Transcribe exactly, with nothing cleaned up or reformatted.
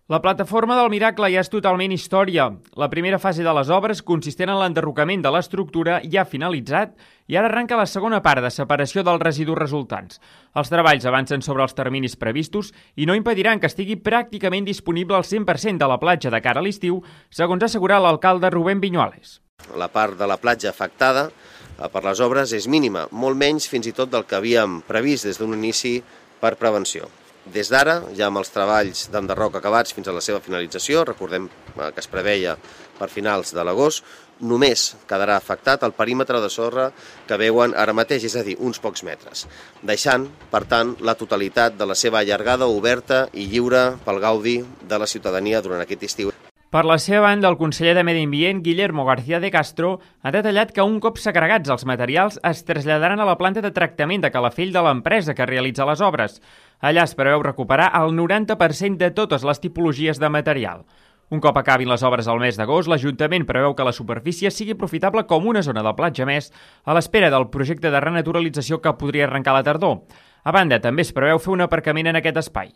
La plataforma del Miracle ja és totalment història. La primera fase de les obres, consistent en l'enderrocament de l'estructura, ja ha finalitzat i ara arranca la segona part de separació dels residus resultants. Els treballs avancen sobre els terminis previstos i no impediran que estigui pràcticament disponible al cent per cent de la platja de cara a l'estiu, segons ha assegurat l'alcalde Rubén Viñuales. La part de la platja afectada per les obres és mínima, molt menys fins i tot del que havíem previst des d'un inici per prevenció. Des d'ara, ja amb els treballs d'enderroc acabats fins a la seva finalització, recordem que es preveia per finals de l'agost, només quedarà afectat el perímetre de sorra que veuen ara mateix, és a dir, uns pocs metres, deixant, per tant, la totalitat de la seva allargada oberta i lliure pel gaudi de la ciutadania durant aquest estiu. Per la seva banda, el conseller de Medi Ambient, Guillermo García de Castro, ha detallat que un cop segregats els materials es traslladaran a la planta de tractament de Calafell de l'empresa que realitza les obres. Allà es preveu recuperar el noranta per cent de totes les tipologies de material. Un cop acabin les obres al mes d'agost, l'Ajuntament preveu que la superfície sigui aprofitable com una zona de platja més a l'espera del projecte de renaturalització que podria arrencar a la tardor. A banda, també es preveu fer un aparcament en aquest espai.